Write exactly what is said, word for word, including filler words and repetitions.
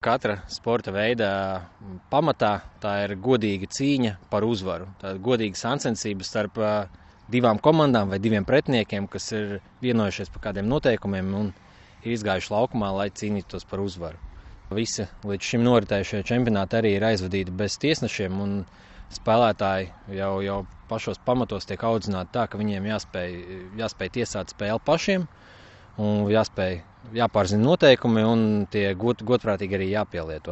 Katra sporta veida pamatā tā ir godīga cīņa par uzvaru. Tā ir godīga sacensība starp divām komandām vai diviem pretiniekiem, kas ir vienojušies par kādiem noteikumiem un ir izgājuši laukumā, lai cīnītos par uzvaru. Visi līdz šim noritējušie čempionāti arī ir aizvadīti bez tiesnešiem, un spēlētāji jau, jau pašos pamatos tiek audzināti tā, ka viņiem jāspēj, jāspēj tiesāt spēli pašiem un jāspēj, jāpārzina noteikumi un tie god, godprātīgi arī jāpielieto.